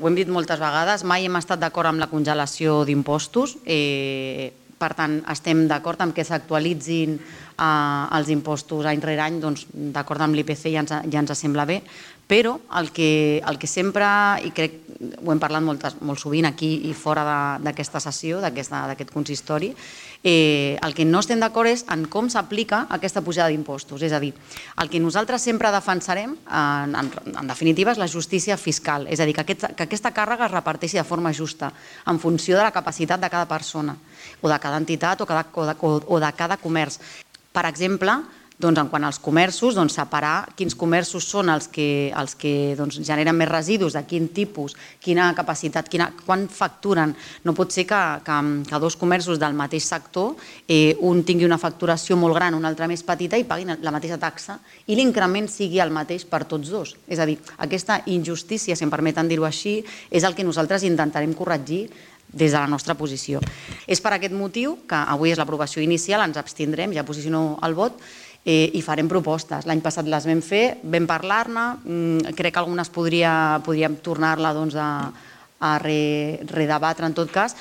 ho hem dit moltes vegades, mai hem estat d'acord amb la congelació d'impostos. Per tant, estem d'acord amb que s'actualitzin els impostos any rere any, doncs d'acord amb l'IPC ja ens sembla bé, però el que sempre, i crec ho hem parlat molt sovint aquí i fora d'aquesta sessió, d'aquest consistori, el que no estem d'acord és en com s'aplica aquesta pujada d'impostos. És a dir, el que nosaltres sempre defensarem, en definitiva, és la justícia fiscal. És a dir, que aquesta càrrega es reparteixi de forma justa, en funció de la capacitat de cada persona, o de cada entitat, o de cada comerç. Per exemple, en quant als comerços, separar quins comerços són els que generen més residus, de quin tipus, quina capacitat, quan facturen. No pot ser que dos comerços del mateix sector, un tingui una facturació molt gran, un altre més petita, i paguin la mateixa taxa i l'increment sigui el mateix per tots dos. És a dir, aquesta injustícia, si em permeten dir-ho així, és el que nosaltres intentarem corregir des de la nostra posició. És per aquest motiu que avui és l'aprovació inicial, ens abstindrem, ja posiciono el vot, i farem propostes. L'any passat les vam fer, vam parlar-ne, crec que algunes podríem tornar-la a redebatre en tot cas,